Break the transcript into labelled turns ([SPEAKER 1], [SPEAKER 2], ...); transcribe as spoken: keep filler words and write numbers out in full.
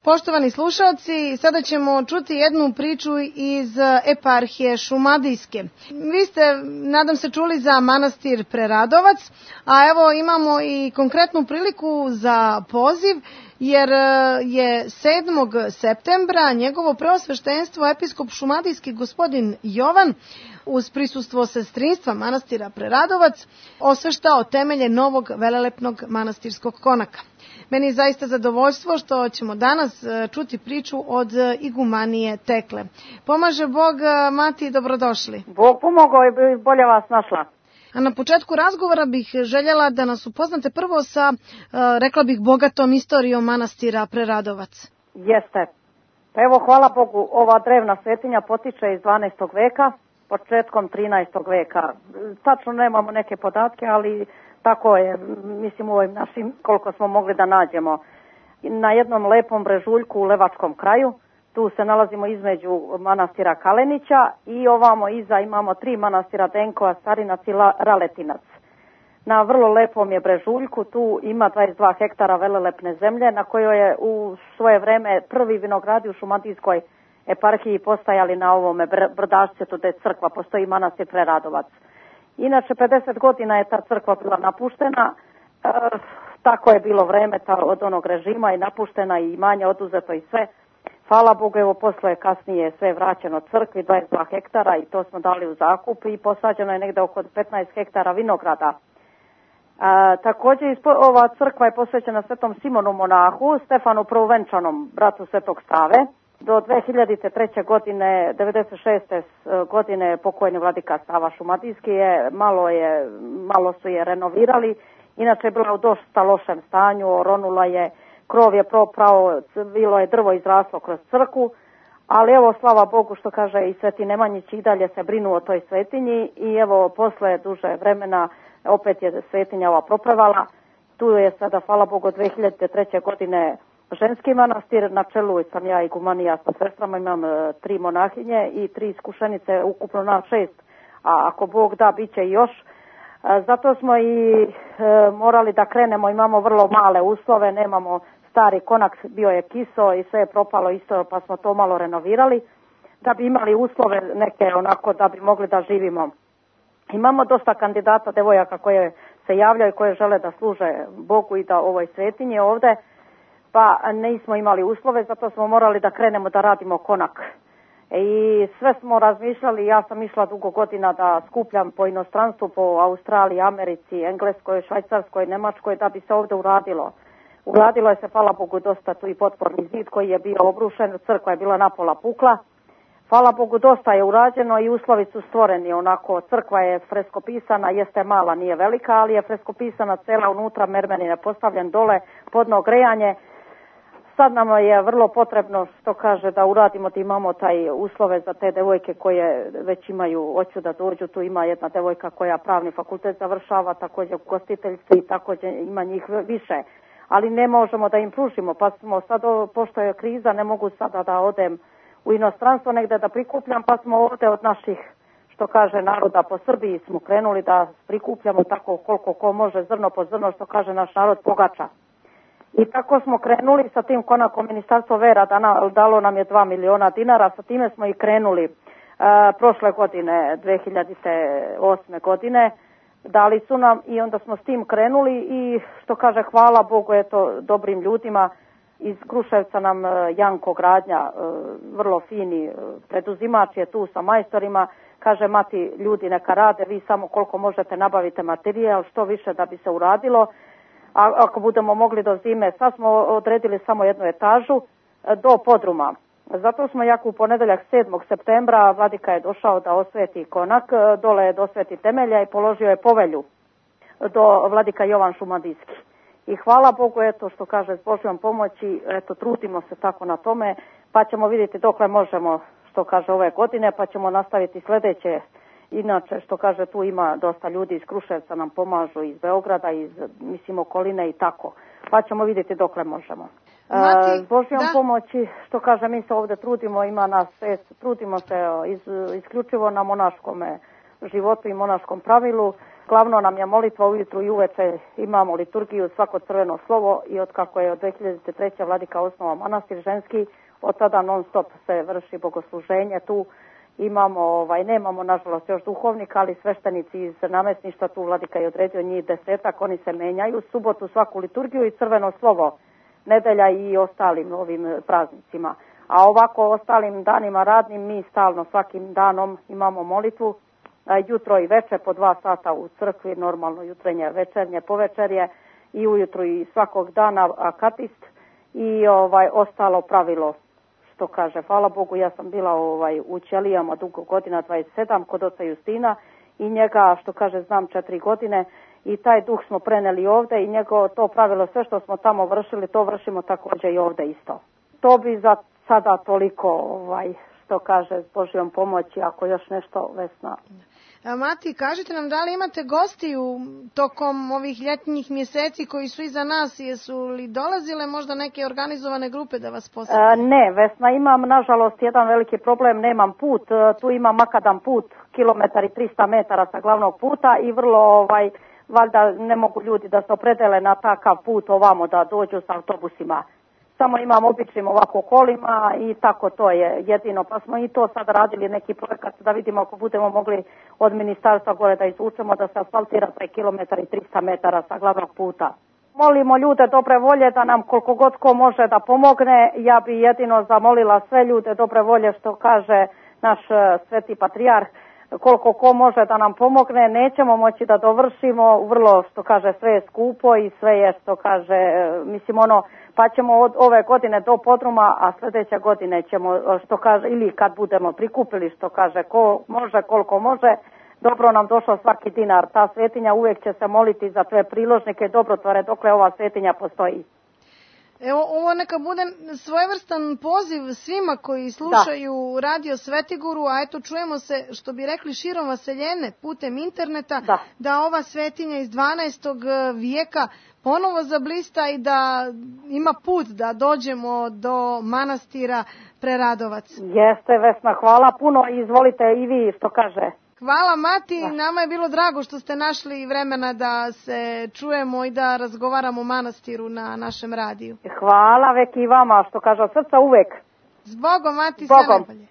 [SPEAKER 1] Poštovani slušalci, sada ćemo čuti jednu priču iz eparhije Šumadijske. Vi ste, nadam se, čuli za manastir Preradovac, a evo imamo i konkretnu priliku za poziv, jer je sedmog septembra njegovo preosveštenstvo episkop šumadijski gospodin Jovan uz prisustvo sestrinstva manastira Preradovac osveštao temelje novog velelepnog manastirskog konaka. Meni je zaista zadovoljstvo što ćemo danas čuti priču od igumanije Tekle. Pomaže Bog, Mati, dobrodošli.
[SPEAKER 2] Bog pomogao i bolje vas našla.
[SPEAKER 1] A na početku razgovora bih željela da nas upoznate prvo sa, rekla bih, bogatom istorijom manastira Preradovac.
[SPEAKER 2] Jeste. Pa evo, hvala Bogu, ova drevna svetinja potiče iz dvanaestog veka, početkom trinaestog veka. Tačno nemamo neke podatke, ali tako je, mislim, u ovim našim, koliko smo mogli da nađemo. Na jednom lepom brežuljku u Levačkom kraju, tu se nalazimo između manastira Kalenića i ovamo iza imamo tri manastira Denkova, Starinac i Raletinac. Na vrlo lepom je brežuljku, tu ima dvadeset dva hektara velelepne zemlje na kojoj je u svoje vreme prvi vinogradi u Šumadijskoj eparhiji postajali na ovome brdašcetu gde crkva, postoji manastir Preradovac. Inače, pedeset godina je ta crkva bila napuštena, e, tako je bilo vreme ta, od onog režima i napuštena i imanje oduzeto i sve. Hvala Bogu, evo posle kasnije sve vraćeno crkvi, dvadeset dva hektara i to smo dali u zakup i posađeno je negde oko petnaest hektara vinograda. E, također ova crkva je posvećena Svetom Simonu monahu, Stefanu Prvovenčanom, bratu Svetog Save. Do dve hiljade treće. godine, devedeset šeste. godine pokojni vladika Sava Šumadijski je malo, je, malo su je renovirali. Inače je bila u dosta lošem stanju, oronula je, krov je proprao, bilo je drvo izraslo kroz crkvu, ali evo, slava Bogu, što kaže i Sveti Nemanjić, i dalje se brinu o toj svetinji i evo, posle duže vremena opet je svetinja ova propravala. Tu je sada, hvala Bogu, dve hiljade treće. godine ženski manastir, na čelu sam ja igumanija sa sestrama, imam e, tri monahinje i tri iskušenice, ukupno na šest, a ako Bog da, bit će i još. E, zato smo i e, morali da krenemo, imamo vrlo male uslove, nemamo stari konak, bio je kiso i sve je propalo isto, pa smo to malo renovirali, da bi imali uslove neke onako da bi mogli da živimo. Imamo dosta kandidata, devojaka koje se javljaju, koje žele da služe Bogu i da ovoj svetinji ovde, pa nismo imali uslove, zato smo morali da krenemo da radimo konak. I sve smo razmišljali, ja sam išla dugo godina da skupljam po inostranstvu, po Australiji, Americi, Engleskoj, Švajcarskoj, Nemačkoj, da bi se ovde uradilo. Uradilo je se, hvala Bogu, dosta tu i potporni zid koji je bio obrušen, crkva je bila napola pukla. Hvala Bogu, dosta je urađeno i uslovi su stvoreni, onako, crkva je freskopisana, jeste mala, nije velika, ali je freskopisana cela unutra, mermerin je postavljen dole, podno grejanje. Sad nam je vrlo potrebno, što kaže, da uradimo, da imamo taj uslove za te devojke koje već imaju, hoću da dođu. Tu ima jedna devojka koja pravni fakultet završava, također gostiteljstvo i također ima njih više. Ali ne možemo da im pružimo, pa smo sad, pošto je kriza, ne mogu sada da odem u inostranstvo negde da prikupljam, pa smo ovde od naših, što kaže, naroda po Srbiji smo krenuli da prikupljamo tako koliko ko može, zrno po zrno, što kaže naš narod, pogača. I tako smo krenuli sa tim konakom. Ministarstvo vera dalo nam je dva miliona dinara, sa time smo i krenuli e, prošle godine, dve hiljade osme. godine, dali su nam i onda smo s tim krenuli i, što kaže, hvala Bogu, eto, dobrim ljudima iz Kruševca nam Janko Gradnja, e, vrlo fini preduzimač je tu sa majstorima, kaže, Mati, ljudi neka rade, vi samo koliko možete nabavite materijal, što više da bi se uradilo. A ako budemo mogli do zime, sad smo odredili samo jednu etažu do podruma. Zato smo jako u ponedeljak sedmog septembra, vladika je došao da osveti konak, dole je dosveti temelja i položio je povelju do vladika Jovan Šumadijski. I hvala Bogu, eto, što kaže, s Božjom pomoći, eto, trudimo se tako na tome, pa ćemo vidjeti dokle možemo, što kaže, ove godine, pa ćemo nastaviti sljedeće. Inače, što kaže, tu ima dosta ljudi iz Kruševca nam pomažu, iz Beograda, iz, mislim, okoline i tako. Pa ćemo vidjeti dokle možemo.
[SPEAKER 1] Mati,
[SPEAKER 2] S Božjom
[SPEAKER 1] da.
[SPEAKER 2] pomoći, što kaže, mi se ovdje trudimo, ima nas šest, trudimo se iz, isključivo na monaškom životu i monaškom pravilu. Glavno nam je molitva ujutru i uveče, imamo liturgiju, svako crveno slovo i od kako je od dve hiljade treće. vladika osnovao manastir ženski, od tada non stop se vrši bogosluženje tu. Imamo, ovaj, nemamo nažalost još duhovnika, ali sveštenici iz namestništva, tu vladika je odredio njih desetak, oni se menjaju, subotu svaku liturgiju i crveno slovo, nedelja i ostalim ovim praznicima. A ovako ostalim danima radnim mi stalno svakim danom imamo molitvu, jutro i večer po dva sata u crkvi, normalno jutrenje, večernje, povečerje i ujutru i svakog dana akatist i ovaj ostalo pravilo. Što kaže, hvala Bogu, ja sam bila ovaj, u Ćelijama dugo godina, dvadeset sedam, kod oca Justina i njega, što kaže, znam četiri godine i taj duh smo preneli ovde i njego to pravilo, sve što smo tamo vršili, to vršimo također i ovde isto. To bi za sada toliko, ovaj, što kaže, s Božjom pomoći, ako još nešto, Vesna.
[SPEAKER 1] Mati, kažite nam, da li imate gostiju tokom ovih ljetnjih mjeseci koji su iza nas, jesu li dolazile možda neke organizovane grupe da vas posjete?
[SPEAKER 2] E, ne, Vesna, imam nažalost jedan veliki problem, nemam put, tu imam makadam put, kilometar i trista metara sa glavnog puta i vrlo, ovaj, valjda ne mogu ljudi da se opredele na takav put ovamo da dođu sa autobusima. Samo imam običnim ovako kolima i tako to je jedino. Pa smo i to sad radili neki projekat da vidimo ako budemo mogli od ministarstva gore da izvučemo da se asfaltira taj kilometar i trista metara sa glavnog puta. Molimo ljude dobre volje da nam koliko god ko može da pomogne. Ja bi jedino zamolila sve ljude dobre volje što kaže naš sveti patrijarh. Koliko ko može da nam pomogne, nećemo moći da dovršimo, vrlo što kaže sve je skupo i sve je što kaže, mislim ono, pa ćemo od ove godine do podruma, a sljedeće godine ćemo, što kaže, ili kad budemo prikupili, što kaže, ko može, koliko može, dobro nam došao svaki dinar. Ta svetinja uvijek će se moliti za sve priložnike i dobrotvore dokle ova svetinja postoji.
[SPEAKER 1] Evo, ovo neka bude svojevrstan poziv svima koji slušaju da. Radio Svetiguru, a eto čujemo se, što bi rekli, širom vaseljene putem interneta, da, da ova svetinja iz dvanaestog vijeka ponovo zablista i da ima put da dođemo do manastira Preradovac.
[SPEAKER 2] Jeste, Vesna, hvala puno i izvolite i vi što kaže.
[SPEAKER 1] Hvala, Mati, da. Nama je bilo drago što ste našli vremena da se čujemo i da razgovaramo o manastiru na našem radiju.
[SPEAKER 2] Hvala vek i vama, što kaže od srca uvek.
[SPEAKER 1] Zbogom, Mati, sve najbolje.